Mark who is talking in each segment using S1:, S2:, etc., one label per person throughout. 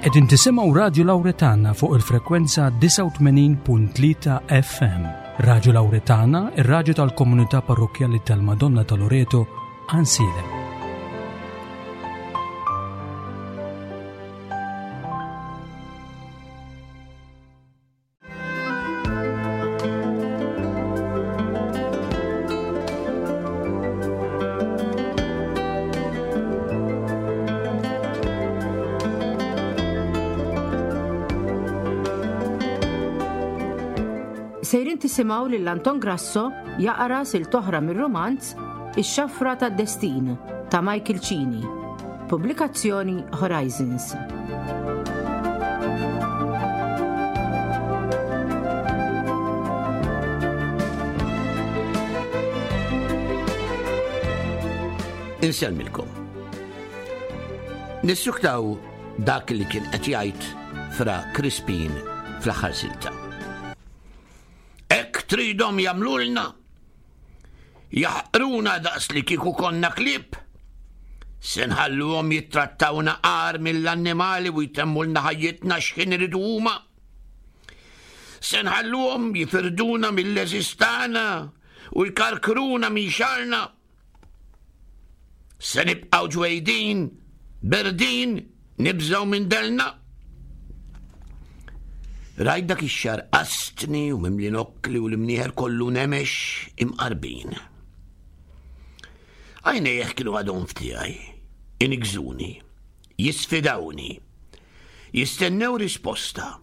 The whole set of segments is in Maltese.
S1: Qegħdin tisimgħu Radju Lawretana fuq il-frekwenza 89.3 FM. Radju Lawretana, ir-radju tal-komunità parrokkjali tal-Madonna ta' Loreto, Ansilem.
S2: Sejrin tisimgħu lil Anton Grasso jaqra sil toħra mir-romanz Ix-Xafra tad-Destin ta' Michael Cini. Pubblikazzjoni Horizons.
S3: Insellmilkom. Nissuktaw dak li kien qed jgħid fra Crispin fl-aħħar silta. Hekk tridhom jagħmlulna Jaħqruna daqs li kieku konna klieb? Se nħalluhom jittrattawna agħar mill-annimali u jtemmulna ħajjitna x'ħin iridu huma? Se nħalluhom jifirduna mill-għeżież tagħna u jkarkruna minn xagħarna? Se nibqgħu ġwejdin, berdin, nibżgħu minn delna? Rajt dak ix-xar qastni u mimli nokkli u l-imnieħer kollu nemex imqarbin. Għajnejh kienu għadhom f'tiegħi, inigżuni, jisfidawni, jistennew risposta.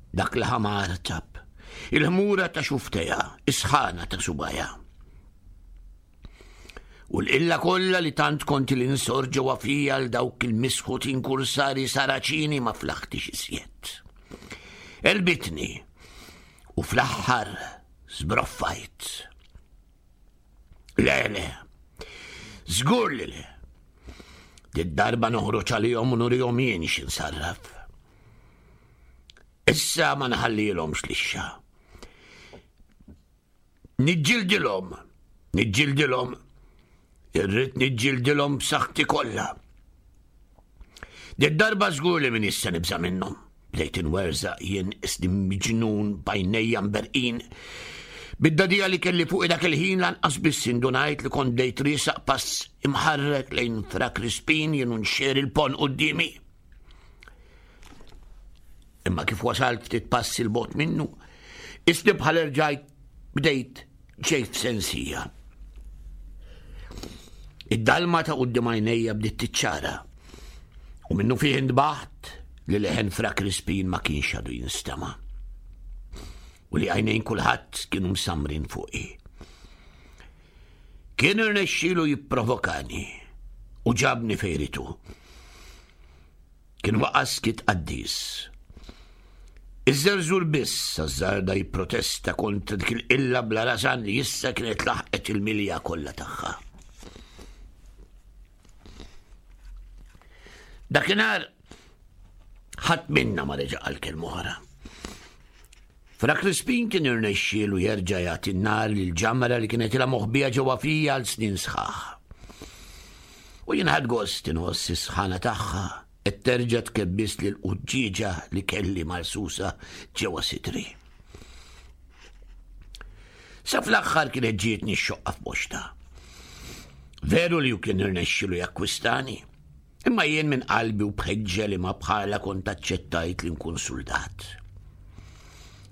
S3: Dak l-ħamar tab, il-ħmura ta' xuftejha, is-sħana ta' subajha. U l-qilla kollha li tant kont li nsor ġewwa fija għal dawk il-misħutin kursari saraċini ma flaħtix iżjed. Elbitni u fl-aħħar żbroffajt. Le, le, żgur li le. Did-darba noħroġ għalihom u nurihom jien x'insarraf. Issa ma nħallilhomx lixxa. Niġġildilhom, niġġildilhom, irrid niġġildilhom b'saħħti kollha. Did-darba żgur li min issa nibża' minnhom. Bdejt inwerżaq jien isni miġnun b'għajnejja mberqin. Bid-dadija li kelli fuqi dak il-ħin lanqas biss indunajt li kont bdejt riesaq pass imħarrek lejn Fra Crispin jien u nxer il-pon quddiemi. Imma kif wasalt ftit passi 'l bogħod minnu, isni bħal erġajt bdejt ġejt f'sensija. Id-dalma ta' quddiem għajnejja bdiet tiċċara u minnu fih intbaħt li leħen Fra Crispin ma kienx għadu jinstema' u li għajnejn kulħadd kienu msammrin fuqi. Kien irnexxielu jipprovokani u ġabni fejritu. Kien waqa' skiet qaddis. Iż-żerżur biss ażżarda jipprotesta kontra dik il-qilla bla rażan li issa kienet laħqet il-milja kollha tagħha. Dakinhar ħadd minna ma reġa' qal kelma oħra. Fra Crispin kien irnexxielu jerġa' jagħti n-nar lill-ġamra li kienet ilha moħbija ġewwa fija għal snin sħaħ. U jien ħadt gost inħoss is-sħana tagħha qed terġa' tkebbisli l-quġġieġa li kelli marsusa ġewwa sidri. Sa fl-aħħar kienet ġietni x-xoqqa f'boxta. Veru li hu kien irnexxielu jakkwistani, Imma jien minn qalbi u b'ħeġġa li ma bħalha kont aċċettajt li nkun suldat.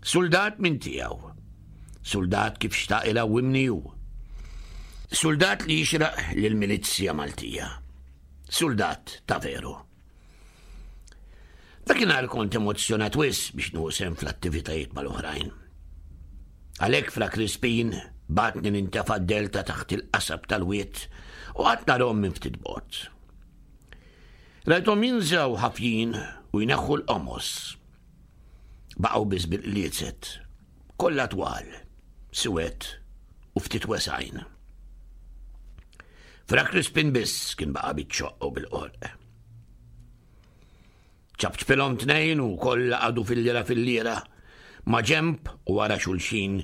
S3: Suldat minn tiegħu. Suldat kif xtaq irawwimni hu. Suldat li jixraq lill-milizzja Maltija. Suldat ta' veru. Dakinhar kont emozzjonat wisq biex nieħu sehem fl-attivitajiet mal-oħrajn. Għalhekk Fra Crispin bagħatni nintefa' d-delta taħt il-qasab tal-wied u qgħadt narahom minn ftit bogħod. Rajthom jinżgħu ħafjin u jneħħu l-qomos. Baqgħu biss bil-qliezet, kollha twal, siwed u ftit wesgħin. Fra Crispin biss kien baqa' biċ-ċoqq u bil-qorq. Ċapċpilhom tnejn u kollha qagħdu filliera filliera, maġenb u wara xulxin,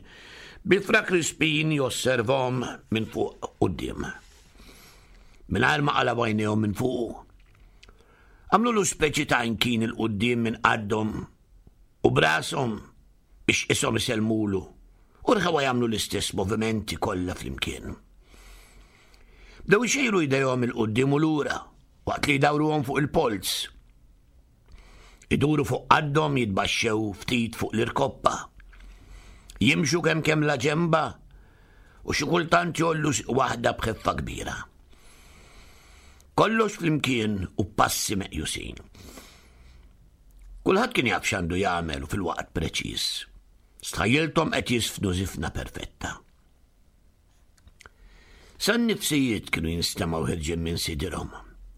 S3: bi Fra Crispin josservahom minn fuq quddiem. Mingħajr ma qalgħu għajnejhom minn fuqu. Għamlulu speċi ta' inkin 'il quddiem minn qaddhom u b'rashom biex qishom isellmulu u rħewha jagħmlu l-istess movimenti kollha flimkien. Bdew ixejru jdejhom 'il quddiem u lura waqt li jdawruhom fuq il-polz. Iduru fuq qaddhom jitbaxxew ftit fuq l-irkoppa. Jimxu kemm kemm la ġemba u xi kultant jollu waħda b'ħeffa kbira. Kollox flimkien u passi meqjusin. Kulħadd kien jaf x'għandu jagħmel u fil-waqt preċiż. Stħajjilthom qed jisfnu żifna perfetta. Sa n-nifsijiet kienu jinstemgħu ħirġin minn sidirhom,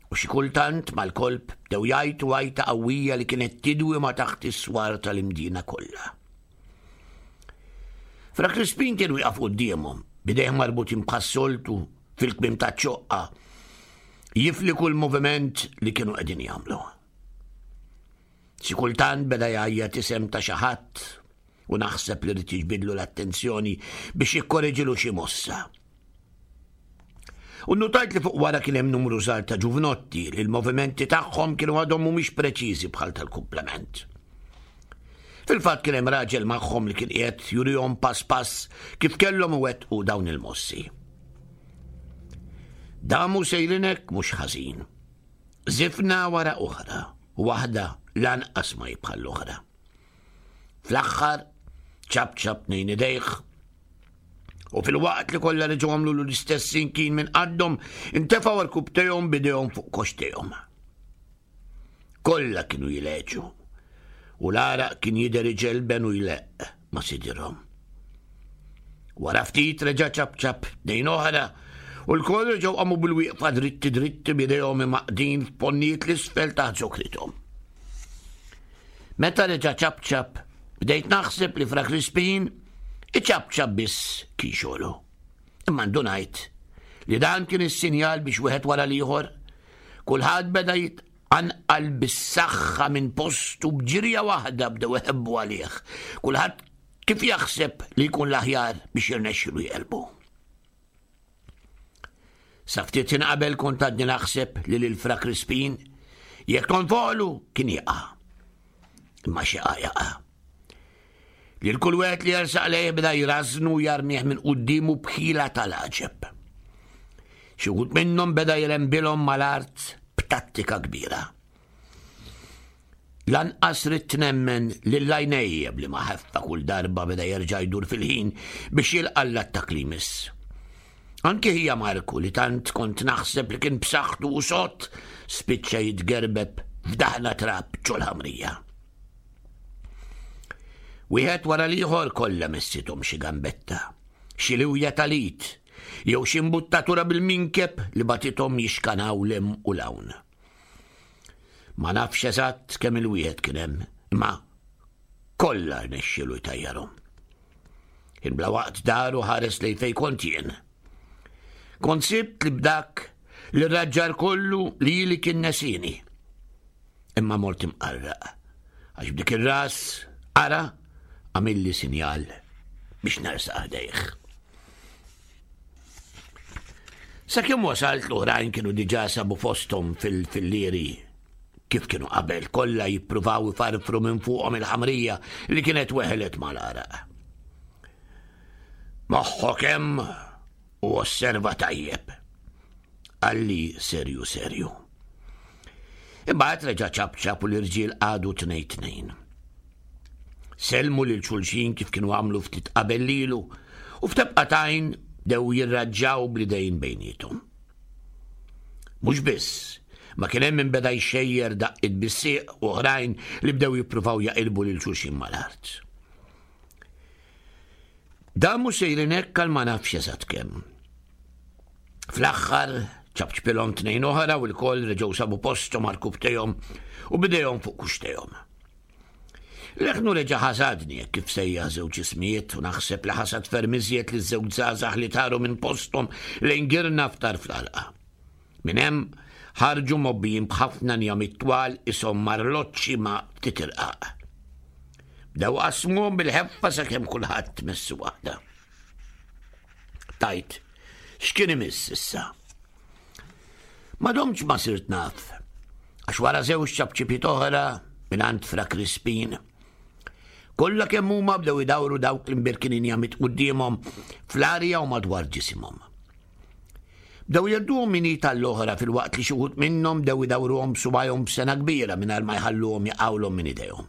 S3: u xi kultant mal-kolp bdew jgħajtu għajta qawwija li kienet tidwi ma' taħt is-swar tal-imdina kollha. Fra Crispin kien wieqaf quddiemhom, bidejh marbutin bħas-soltu fil-kmim taċ-ċoqqa, jifli kull moviment li kienu qegħdin jagħmlu. Xi kultant beda jgħajjat isem ta' xi ħadd u naħseb li rrid jiġbidlu l-attenzjoni biex jikkoreġilu xi mossa. U notajt li fuq wara kien hemm numru żgħar ta' ġuvnotti li l-movimenti tagħhom kienu għadhom mhumiex preċiżi bħal tal-kumplament. Fil-fatt kien hemm raġel magħhom li kien qiegħed jurihom pass pass kif kellhom iwettqu dawn il-mossi. Damu sejrinek mhux ħażin. Żifna wara oħra, waħda lanqas ma hi bħal l-oħra. Fl-aħħar, ċap ċap nejn idejh, u fil-waqt li kollha reġgħu għamlu l-istess inkin minn qaddhom, intefgħu rkubtejhom bidejhom fuq koxtejhom. Kollha kienu jileġu, u l-għaraq kien jidher iġelben u jleqq ma' sidirhom. Wara ftit reġa' ċapċap dejn oħra u l-koll reġgħu qamu bil-wieqfa dritti dritti b'idejhom imaqdin f'ponnijiet l-isfel taħt zokrithom. Meta reġa' ċapċap, bdejt naħseb li Fra Crispin iċapċap biss kien xogħlu. Imma ndunajt li dan kien is-sinjal biex wieħed wara l-ieħor kulħadd beda jitqanqal bis-saħħa minn postu b'ġirja waħda bdew iħebbu għalih. Kulħadd Kif jaħseb li jkun l-aħjar biex jirnexxilu jqelbu? Sa ftit ħin qabel kont għadni naħseb li lil Fra Crispin jekk tonfolu kien jaqa'. Imma xi jaqa'. Lil kull wieħed li jersaq lejh beda jrażnu jarmih minn quddiemu b'ħila tal-għaġeb. Xi wħud minnhom beda jrembilhom mal-art b'tattika kbira. Lanqas ridt nemmen lil għajnejja b'liema ħeffa kull darba beda jerġa' jdur fil-ħin biex jilqa' l-attakk li jmiss. Anki ħija Marku li tant kont naħseb li kien b'saħħtu u sod spiċċa jitgerbeb f'daħna trab ġol-ħamrija. Wieħed wara l-ieħor kollha messithom xi gambetta, xi liwja tal-id, jew xi mbuttatura bil-minkeb li bagħtithom jixkanaw 'l hemm u 'l hawn. Ma nafx eżatt kemm il-wieħed kien hemm, imma kollha rnexxielu jtajjarhom. Kien bla waqt daru ħares lejn fejn kont jien. Kont sibt li b'dak li raġġar kollu li li kien nesini. Imma mort imqarraq, għax b'dik ir-ras ara għamilli sinjal biex nersaq ħdejh. Sakemm wasalt l-oħrajn kienu diġà sabu fosthom fil-fillieri kif kienu qabel kollha jippruvaw ifarfru minn fuqhom il-ħamrija li kienet weħlet mal-għaraq. Moħħok hemm u osserva tajjeb. Qalli serju serju. Imbagħad reġa' ċapċap u l-irġiel qagħdu tnejn tnejn. Sellmu lil xulxin kif kienu għamlu ftit qabel lilu u f'tebqa t'għajn bdew jirraġġaw bl-idejn bejniethom. Mhux biss, ma kien hemm min beda jxejjer daqqiet bis-sieq u oħrajn li bdew jippruvaw jaqilbu lil xulxin mal-art. Damu sejrin hekk għal ma nafx eżatt kemm. Fl-aħħar ċapċpilhom tnejn oħra u l-koll reġgħu sabu posthom għal kubtejhom u bidejhom fuq kuxtejhom. Leħnu reġa' ħasadni hekk kif sejjaħ żewġ ismijiet u naħseb li ħasad ferm iżjed li żewġ żgħażagħ li taru minn posthom lejn girna f'tarf l-għalqa. Minn hemm ħarġu mgħobbijin b'ħafna njamit twal ishom marloċċi ma' ftit irqaq. Bdew qasmuhom bil-ħeffa sakemm kulħadd messu waħda. Tajt, x'kien imiss issa? Ma domtx ma sirt naf. Għax wara żewġ ċapċipiet oħra mingħand Fra Crispin, kollha kemm huma bdew idawru dawk l-imbirkin injamit quddiemhom fl-arja u madwar ġisimhom. Bdew jgħadduhom minn id għall-oħra filwaqt li xi wħud minnhom bdew idawruhom b'subgħajhom b'sengħa kbira mingħajr ma jħalluhom jaqgħulhom minn idejhom.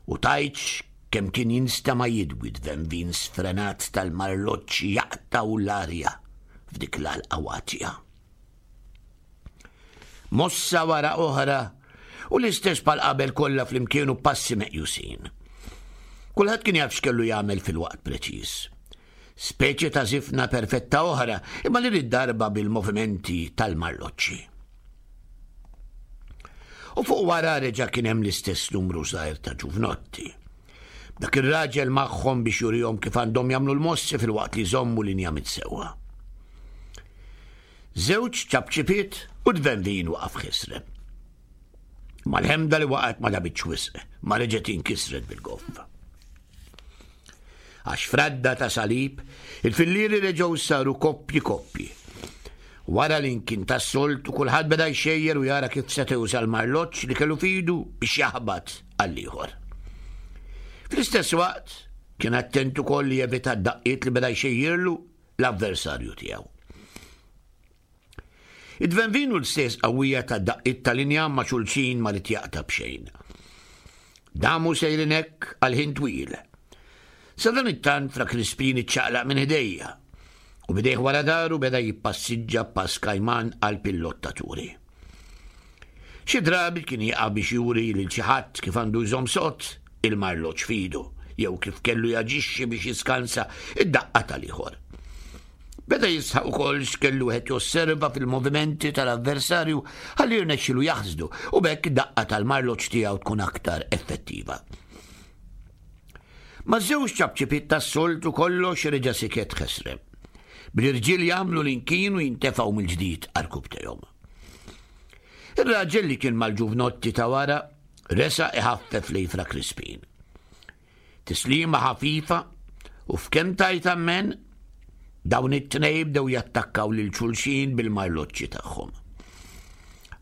S3: U tgħidx kemm kien jinstema' jidwi d-tvenvin sfrenat tal-marloġġ jaqtgħu l-arja f'dik l-għalqa watja. Mossa wara oħra u l-istess bħal qabel kollha flimkien u passi meqjusin. Kulħadd kien jaf x'kellu jagħmel fil-waqt preċiż. Speċi ta' żifna perfetta oħra, imma li darba bil-movimenti tal-marloċċi. U fuq wara reġa' kien hemm l-istess numru żgħir ta' ġuvnotti. Dak ir-raġel magħhom biex jurihom kif għandhom jagħmlu l-mossi filwaqt li jżommu linja mit-sewwa. Żewġ ċapċipiet u d-venvin waqaf ħisrem. Mal-ħemda li waqgħet ma dabitx wisq, ma reġgħet inkisret bil-goff. Għax fradda ta' salib, il-fillieri reġgħu saru koppji koppji. Wara li nkien tas-soltu kulħadd beda jxejjer u jara kif seta' juża l-marloġġ li kellu fidu biex jaħbat għall-ieħor. Fl-istess waqt, kien attent ukoll li jevita d-daqqiet li beda jxejjirlu l-avversarju tiegħu. Id-dvenvin u l-stess qawwija ta' daqqiet tal-injam ma' xulxin ma rid jaqta' b'xejn. Damu sejrin hekk għal ħin twil. Sa dan it-tant Fra Crispin iċċaqlaq minn ħdejja u bidejh wara daru beda jippassiġġa pass kajman għal pillottaturi. Xi drabi kien jieqaf biex juri lil xi ħadd kif għandu jżomm sod il-marloġġ f'idu jew kif kellu jaġixxi biex jiskansa id-daqqa tal-ieħor. Beda jisħaq ukoll x'kellu wieħed josserva fil-movimenti tal-avversarju ħalli jirnexxilu jaħsdu u b'hekk id-daqqa tal-marloġġ tiegħu tkun aktar effettiva. Ma' żewġ ċapċipiet tas-soltu kollox reġa' siket ħesrem. Bl-irġiel jagħmlu l-inkin u jintefgħu mill-ġdid għarkubbtejhom. Ir-raġel li kien mal-ġuvnotti ta' wara resaq iħaffef lejn Fra Crispin. Tislima ħafifa u f'kemm tajt ammen dawn it-tnej bdew jattakkaw lil xulxin bil-marloċċi tagħhom.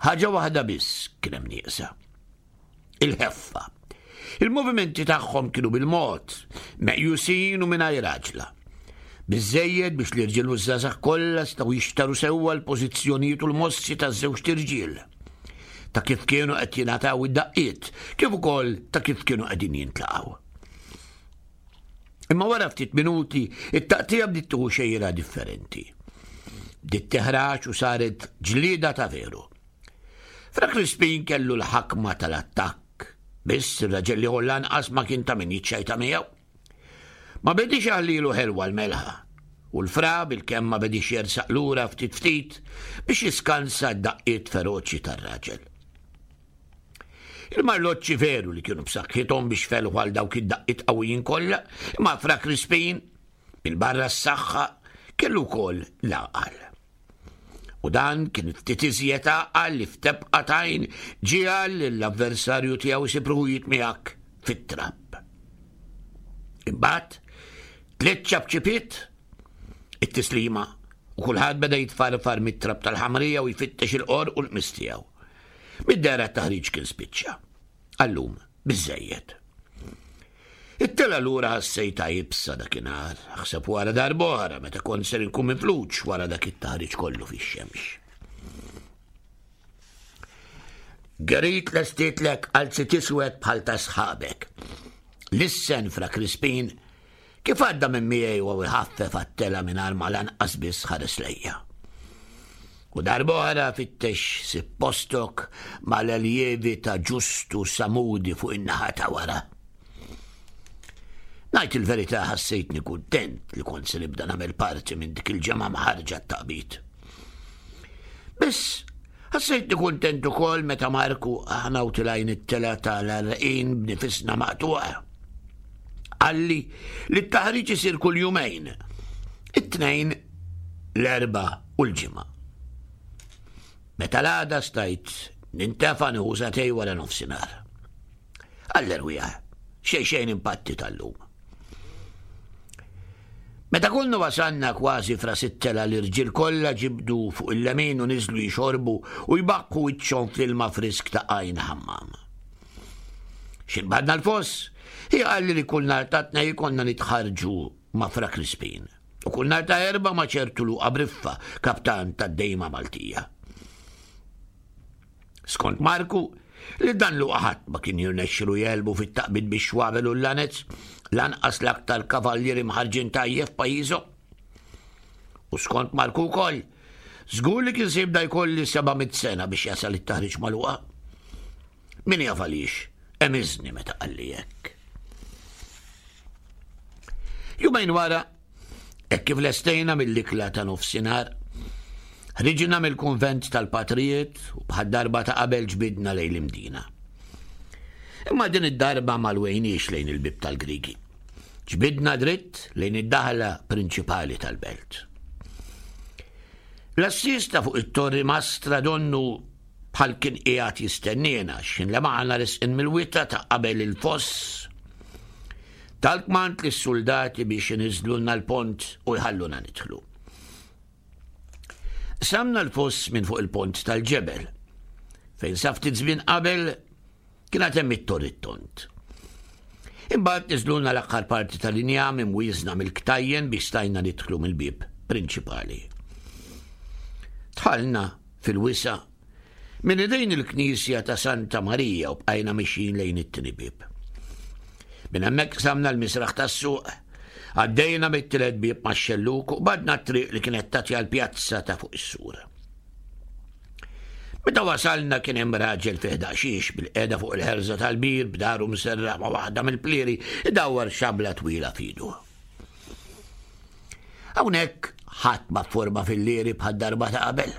S3: Ħaġa waħda biss kien hemm nieqsa. Il-ħeffa. Il-movimenti tagħhom kienu bil-mod, meqjusin u mingħajr għaġla. Biżżejjed biex l-irġiel u ż-żgħażagħ kollha setgħu jixtaru sewwa l-pożizzjonijiet u l-mossi taż-żewġt irġiel, ta' kif kienu qed jingħataw id-daqqiet, kif ukoll ta' kif kienu qegħdin jintlaqgħu. Imma wara ftit minuti, it-taqtija bdiet tieħu xejra differenti. Bdiet teħraġ u saret ġlieda ta' veru. Fra Crispin kellu l-ħakma tal-attakk, biss ir-raġel l-ieħor lanqas ma kien ta' min jiċċajta miegħu. Ma bedix jaħlilu ħelwa l-melħa, u l-fra bilkemm ma bedix jersaq lura ftit ftit biex jiskansa d-daqqiet feroċi tar-raġel. Il-marloċċi veru li kienu b'saħħithom biex felħu għal dawk id-daqqiet qawwijin kollha, imma Fra Crispin, bil-barra s-saħħa, kellu wkoll l-għaqal. U dan kien ftit iżjed għaqal li f'tebqa t'għajn ġiegħel lill-avversarju tiegħu jsib ruħu jitmiegħek fit-trab. Imbagħad tliet ċapċipiet, it-tislima, u kulħadd beda jitfarfar mit-trab tal-ħamrija u jfittex il-qorq u l-qmis tiegħu. Mid-dehra t-taħriġ kien spiċċa. Għallum, biżżejjed. It-tela lura ħassejtha iebsa dakinhar, aħseb wara darb'oħra meta kont ser inkun mifluġ wara dak it-taħriġ kollu fix-xemx. Gerit lestietlek qalzit iswed bħal ta' sħabek. Lissen fra Crispin Kif għadda minn miegħi u iħaffef għat-telgħa mingħajr ma lanqas biss ħares lejja. U darb'oħra fittex sib postok mal-eljevi ta' Ġustu Samudi fuq in-naħa ta' wara. Ngħid il-verità ħassejtni kuntent li kont se nibda nagħmel parti minn dik il-ġemgħa mħarġa t-taqbid. Biss ħassejtni kuntent ukoll meta Marku aħna u tilajn it-tela tal-għarqin b'nifisna maqtuqa. Qalli li t-taħriġ isir kull jumejn, it-tnejn, l-erba u l-ġimgħa. Meta l-għada stajt nintefa' nieħu satej wara nofsinhar. Għall-erwieħ, xejn xejn impatti tal-lum. Meta konna wasalna kważi f'ras it-telgħa l-irġiel kollha ġibdu fuq il-lemin u niżlu jixorbu u jbaqqu wiċċhom fl-ilma frisk ta' Għajn Ħammam. X'in badna l-foss, hi qalli li kull nhar ta' Tnejn konna nitħarrġu ma' Fra Crispin u kull nhar ta' Erbgħa ma' ċertu Luqa Briffa, kaptan tad-Dejma Maltija. Skont Marku, li dan Luqa ħadd ma kien jirnexxilu jegħlbu fit-taqbid bix-xwabel u l-lanez, lanqas l-aktar kavallieri mħarrġin tajjeb f'pajjiżhom. U skont Marku wkoll, żgur li kien se jibda jkolli 700 sena biex jasal it-taħriġ ma' Luqa. Min jaf għaliex, emiżni meta qalli hekk. Jumejn wara, Hekk kif lestejna mill-ikla ta' nofsinhar, ħriġna mill-kunvent tal-patrijiet u bħad-darba ta' qabel ġbidna lejn l-Imdina. Imma din id-darba ma lwejniex lejn il-bieb tal-Grigi. Ġbidna dritt lejn id-daħla prinċipali tal-belt. L-assista fuq it-torri mastra donnu bħal kien qiegħed jistenniena x'ħin lemaħna resqin mill-wita ta' qabel il-foss. Tal-kmand lis-suldati biex iniżżlulna l-pont u jħalluna nidħlu. Qsamna l-foss minn fuq il-pont tal-ġebel, fejn sa ftit żmien qabel kien għad hemm it-torri t-tond. Imbagħad niżlulna l-aħħar parti tal-injam imwieżna mill-ktajjen biex stajna nidħlu mill-bieb prinċipali. Dħalna fil-wisa' minn idejn il-knisja ta' Santa Marija u bqajna mixjin lejn it-tieni bieb. Minn hemmhekk qsamna l-misraħ tas-suq, għaddejna mit-tielet bieb max-xellug u qbadna t-triq li kienet tagħti għall-pjazza ta' fuq is-sur. Meta wasalna kien hemm raġel fih daqxiex bil-qiegħda fuq il-ħerża tal-bir b'daru mserraħ ma' waħda mill-plieri idawwar xabla twila f'idu. Hawnhekk ħadd ma fforma fil-lieri bħad-darba ta' qabel.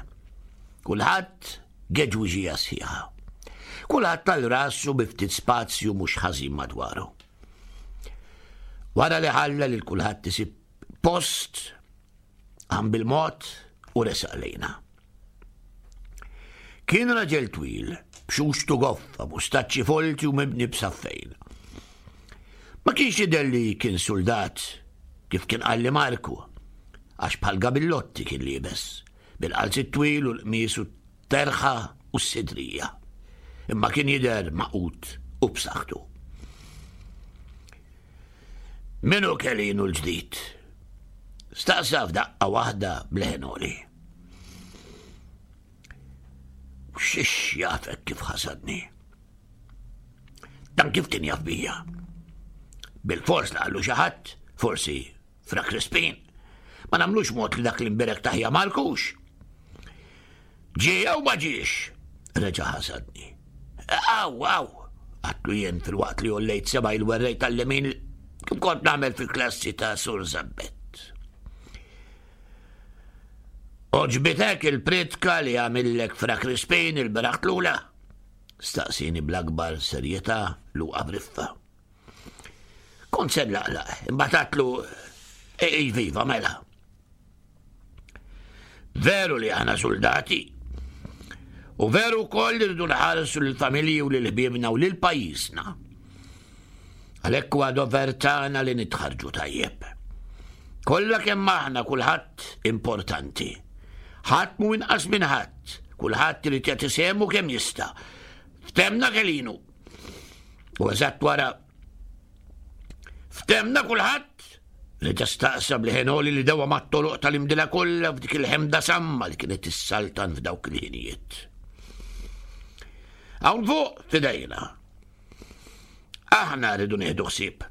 S3: Kulħadd geġwiġija sħiħa. Kulħadd tal rasu bi ftit spazju mhux ħażin madwaru. Wara li ħalla lil kulħadd isib post, qam bil-mod u resaq lejna. Kien raġel twil, b'xuxtu goffa, mustaċċi folti u mibni b'saffejn. Ma kienx jidher li kien suldat, kif kien qalli Marku, għax bħal gabillotti kien liebes, bil-qalzit twil u l-qmis u terħa u s-sidrija. Imma kien jidher maqut u b'saħħtu. Min hu Kelinu l-ġdid? Staqsa f'daqqa waħda b'leħen għoli. Xiex jafek kif ħasadni? Dan kif kien jaf bija? Bil-fors li qallu xi ħadd, forsi Fra Crispin. Ma nagħmlux mod li dak l-imbirek taħja Markux. Ġie jew ma ġiex? Reġa' ħasadni. Aw, aw, għatlu jien fil-waqt li ollejt seba' il-werrej tal-lemin kif kont nagħmel fil-klassi ta' Sur Zabbet. Oġbitek il-pritka li għamillek Fra Crispin il-beraħ tlula? Staqsini bl-akbar serjetà Luqa Briffa. Kont se nlaqlaq, imbagħad għatlu iviva mela. Veru li aħna soldati. U veru wkoll li rridu nħarsu lill-familji u lil ħbiebna u lil pajjiżna. Għalhekk huwa dover tagħna li nitħarġu tajjeb. Kollha kemm aħna kulħadd importanti. Ħadd mhu inqas minn ħadd, kulħadd irid jagħti sehmu kemm jista'. Ftemna Kelinu. U eżatt wara ftemna kulħadd reġa' staqsa bl-ħenoli li dewa mat-toroq tal-imdila kollha f'dik il-ħemda samma li kienet issaltan f'dawk il-ħinijiet. Hawn fuq fidejna. Aħna rridu nieħdu ħsieb.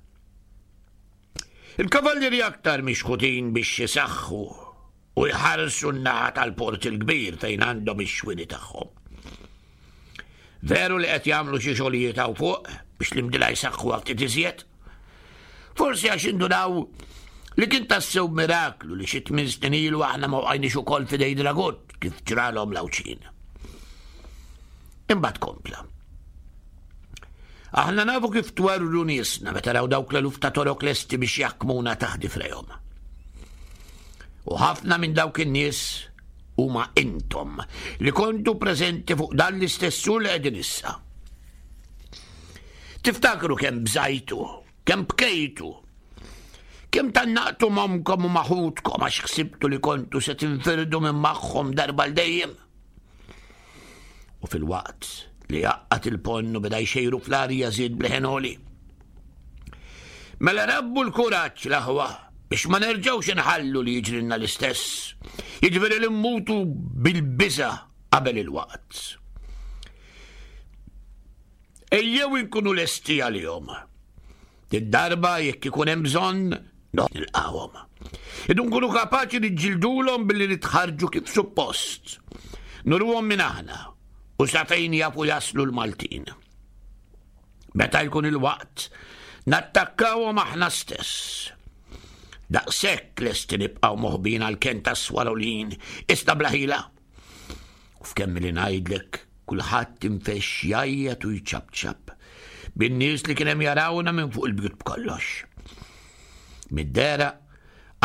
S3: Il-kavallieri aktar mixħutin biex jisaħħu u jħarsu n-naħa tal-Port il-Kbir fejn għandhom ix-xwieni tagħhom. Veru li qed jagħmlu xi xogħlijiet hawn fuq biex l-imdila jsaħħuha ftit iżjed? Forsi għax indunaw li kien tassew miraklu li xi tmien snin ilu aħna ma wqajniex ukoll f'idej Dragut kif ġralhom l-Għawdxin. Imbagħad kompla. Aħna nafu kif twerwru niesna meta raw dawk l-eluf ta' torok lesti biex jaħkmuna taħt difrejhom. U ħafna minn dawk in-nies huma intom li kontu preżenti fuq dan l-istess sur li qegħdin issa. Tiftakru kemm bżajtu, kemm bkejtu. Kemm tannaqtu m'ommkom u ma' ħutkom għax ħsibtu li kontu se tinfirdu minn magħhom darba l dejjem. U fil-waqt li għaqqad il-ponn u beda jxejru fl-arja żied b'leħen għoli. Mela rabbu l-kuraġġ l-aħwa biex ma nerġgħux inħallu li jiġrilna l-istess. Jiġifieri li mmutu bil-biża' qabel il-waqt. Ejjew inkunu lesti għalihom. Did-darba jekk ikun hemm bżonn, nilqgħuhom. Idu nkunu kapaċi niġġildulhom billi nitħarġu kif suppost. Nuruhom minn aħna u sa fejn jafu jaslu l-Maltin. Meta jkun il-waqt, nattakkawhom aħna stess. Daqshekk lesti nibqgħu moħbin għal ken tas-swarolin, iżda bla ħila. U f'kemm li ngħidlek kulħadd infexx jgħajjat u jċapċap bin-nies li kien hemm jarawna minn fuq il-bjut b'kollox. Mid-dera,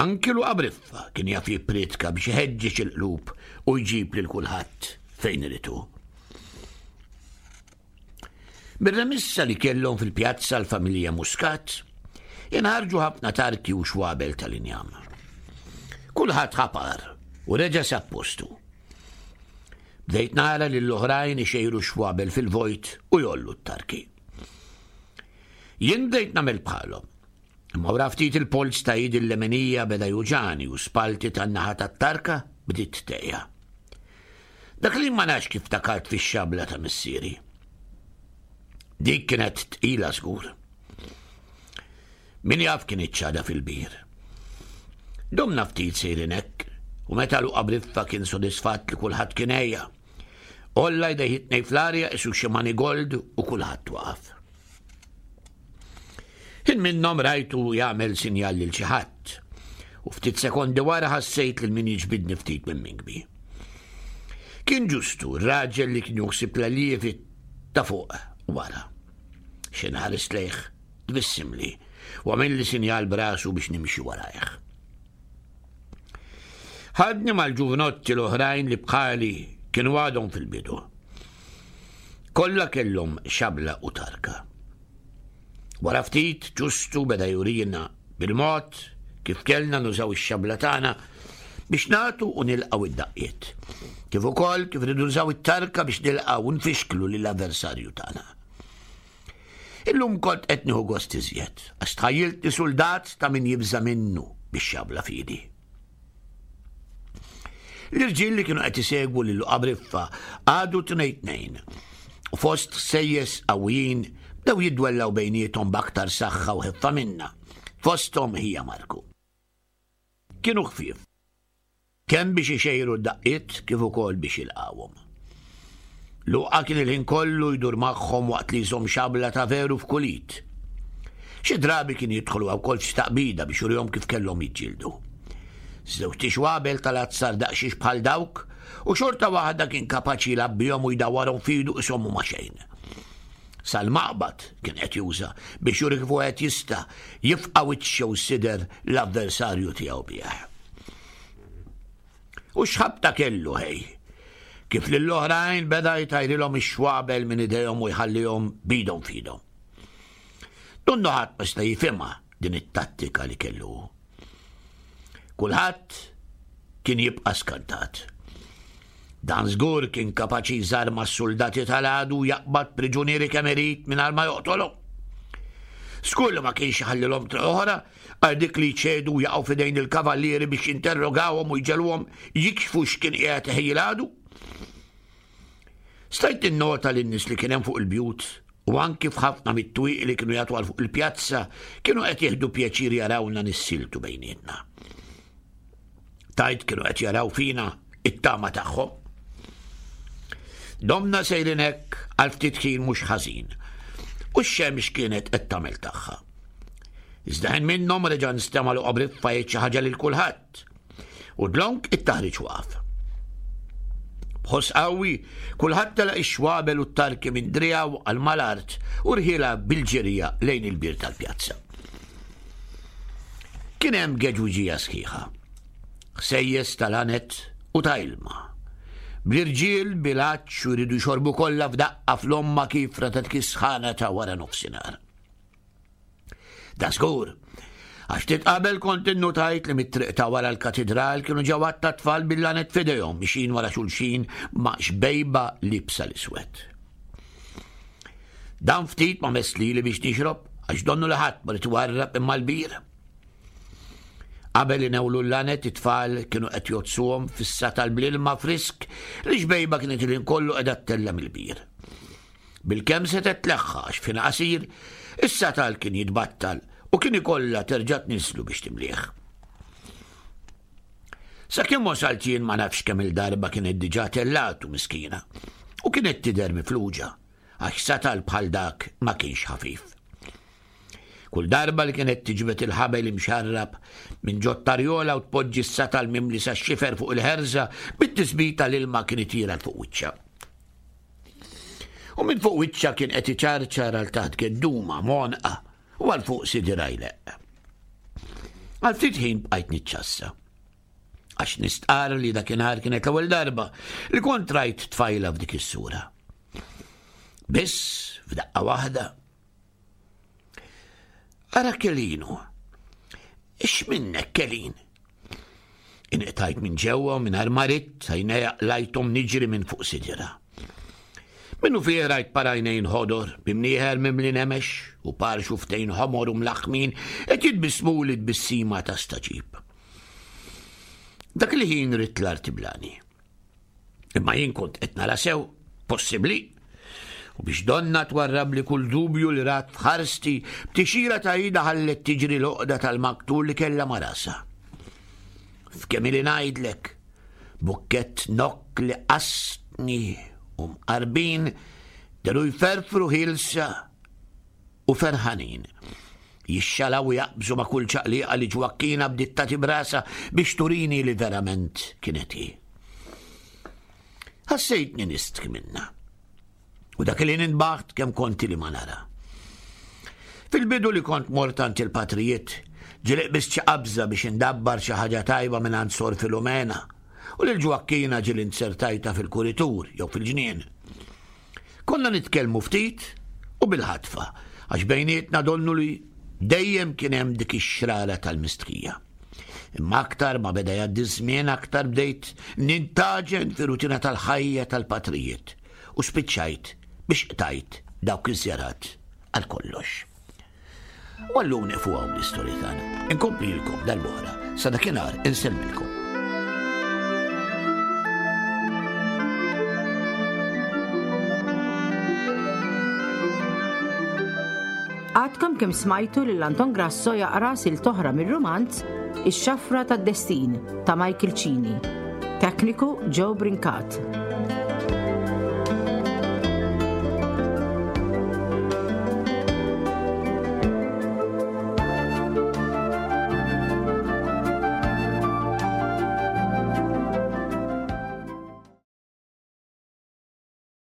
S3: anki Luqa Briffa kien jaf jippriedka biex iħeġġeġ il-qlub u jġib lil kulħadd fejn irid hu. Mir-remissa li kellhom fil-pjazza l-familja Muscat, inħarġu ħafna tarki u xwabel tal-injam. Kulħadd ħapar u reġa' sab postu. Bdejt nara lil oħrajn ixejru xwabel fil-vojt u jollu t-tarki. Jien bdejt nagħmel bħalhom. Imma wara ftit il-polz ta' idi l-leminija beda juġani u spalti tan-naħa tat-tarka bdiet tgħejja. Dak li ma nafx kif takart fix-xabla ta' missieri. Dik kienet tqila żgur. Min jaf kien iċ-ċada fil-bir. Domna ftit sejrin hekk u meta Luqa Briffa kien sodisfatt li kulħadd kien għejja. Olla jdejh it-tnejn fl-arja isu xi manigold u kulħadd waqaf. Ħin minnhom rajtu jagħmel sinjal lil xi ħadd u ftit sekondi wara ħassejt lil min jiġbidni ftit minn minkbi. Kien ġustu r-raġel li kien juħsib l-alievi ta' fuq wara. Xi nħares lejh tbissimli u għamilli sinjal b'rasu biex nimxi warajh. Ħadni mal-ġuvnotti l-oħrajn li bħali kienu għadhom fil-bidu. Kollha kellhom xabla u tarka. Wara ftit ġustu beda jurina bil-mod kif kellna nużaw ix-xabla tagħna biex nagħtu u nilqgħu id-daqqiet. Kif ukoll kif rridu nużaw it-tarka biex nilqgħu u nfixklu lill-avversarju tagħna. Illum kont qed nieħu gost iżjed, għax tħajjiltni suldat ta' min jibża' minnu bix-xabla f'idi. L-irġiel li kienu qed isegwu lil Luqa Briffa qagħdu tnejn tnejn u fost ħsejjes qawwijin bdew jiddwellaw bejniethom b'aktar saħħa u ħeffa minna, fosthom ħija Marku. Kienu ħfief. Kemm biex ixejru d-daqqiet kif ukoll biex jilqgħuhom. Luqa kien il-ħin kollu jdur magħhom waqt li jżomm xabla ta' veru f'kull id. Xi drabi kien jidħol huwa wkoll f'xi taqbida biex jurihom kif kellhom jiġġieldu. Żewġt ixwabel tal-azzar daqsxiex bħal dawk u xorta waħda kien kapaċi jilgħab bihom u jdawwarhom f'idu qishom huma xejn. Sal-maqbad kien qed juża biex juri kif wieħed jista' jifqa' wiċċ jew sider l-avversarju tiegħu bih. U x'ħabta kellu ħej! Kif lill-oħrajn beda jtajrilhom ix-xwabel minn idejhom u jħallihom b'idhom f'idhom. Donnu ħadd ma seta' jifhimha din it-tattika li kellu hu. Kulħadd kien jibqa' skantat. Dan żgur kien kapaċi jżarma s-suldati tal-għadu jaqbad priġunieri kemm irid mingħajr ma joqtolhom. Żgur li ma kienx iħallilhom triq oħra għal dik li jċedu u jaqgħu f'idejn il-kavallieri biex jinterrogawhom u jġegħluhom jikxfu x'kien qiegħed iħejji l-għadu. Stajt ninnota li n-nies li kien hemm fuq il-bjut u anki f'ħafna mit-twieqi li kienu jagħtu għal fuq il-pjazza kienu qed jieħdu pjaċir jarawna nissiltu bejnietna. Tajt kienu qed jaraw fina it-tama tagħhom. Domna sejrin hekk għal ftit ħin mhux ħażin u x-xemx kienet qed tagħmel tagħha. Iżda ħin minnhom reġa' nstema' Luqa Briffa jgħid xi ħaġa lil kulħadd. U dlonk it-taħriġ waqaf. B'ħoss qawwi, kulħadd telaq ix-xwabel u t-tarki minn driegħu għal mal-art u rħielha bil-ġirja lejn il-bir tal-pjazza. Kien hemm geġwiġija sħiħa. Ħsejjes tal-għanet u ta' ilma. Bl-irġiel bil-għatx u jridu jxorbu kollha f'daqqa fl-omma kifra ta' dik is-sħana ta' wara nofsinhar. Da żgur. Għax ftit qabel kont innutajt li mit-triq ta' wara l-katidral kienu ġew għadd ta' tfal bil-lanet f'idejhom mixin wara xulxin ma' xbejba libsa l-iswed. Dan ftit ma mess lili biex nixrob għax donnu li ħadd ma rid iwarrab imma l-bir. Qabel inewlu l-lanet it-tfal kienu qed jgħoddsuhom fis-satal bl-ilma frisk li xbejba kienet il-ħin kollu qiegħda ttella' mill-bir. Bilkemm setgħet tleħħa għax f'ħin qasir, is-satal kien jitbattal u kien ikollha terġa' tniżżlu biex timlieh. Sakemm wasalt jien ma nafx kemm il-darba kienet diġà tellatu miskina u kienet tidher mifluġa għax satal bħal dak ma kienx ħafif. Kull darba li kienet tiġbed il-ħabel imxarrab minn ġot-tarjola u tpoġġi s-satal mimli sax-xifer fuq il-ħerża bit-tisbita l-ilma kien itir għal fuq wiċċha. U minn fuq wiċċha kien qed iċarċar għal taħt gedduma m'għonqha u għal fuq sidirha jleqq. Għal ftit ħin bqajt niċċassa. Għax nistqarr li dakinhar kienet l-ewwel darba li kont rajt tfajla f'dik is-sura. Biss f'daqqa waħda Ara Kelinu. X'minnek Kelin? Inqtajt minn ġewwa u mingħajr ma ridt għajnejja qlajthom niġri minn fuq sidira. Minnu fih rajt par għajnejn ħodor, b'imnieħer mimli nemex u par xuftejn ħomor u mlaħħmin qed jitbissmuli tbissima ta' staġib. Dak il-ħin ridt l-art tiblani. Imma jien kont qed nara sew, possibbli. U biex donna twarrabli kull dubju li rat f'ħarsti, b'tixira ta' ida ħallet tiġri l-oqda tal-maktur li kellha ma' rasha. F'kemm ili ngħidlek, bukkett nokk li qasni u mqarbin deru jferfru ħielsa u ferħanin. Jixxalaw u jaqbżu ma' kull ċaqliqa li Ġwakkina bdiet tagħti b'rasha biex turini li verament kienet hi. Ħassejtni nistħi minnha. U dak li nintbaħt kemm konti li ma nara. Fil-bidu li kont mort għand il-patrijiet, ġieli qbiżt xi qabża biex indabbar xi ħaġa tajba minn għand Sor Filomena u lil Ġwakkina ġieli nzertajtha fil-kuritur jew fil-ġnien. Konna nitkellmu ftit u bil-ħatfa, għax bejnietna donnu li dejjem kien hemm dik ix-xrara tal-mistħija. Imma aktar ma beda jgħaddi ż-żmien aktar bdejt nintaġen fir-rutina tal-ħajja tal-patrijiet u spiċċajt biex qtajt dawk iż-żjarat għal kollox. U għallum nieqfu hawn l-istorja tagħna. Inkomplilkom darb'oħra sa dakinhar insellmilkom.
S2: Għadkom kemm smajtu lil Anton Grasso jaqra sil toħra mir-rumanz Ix-Xafra tad-Destin ta' Michael Cini. Tekniku Joe Brincat.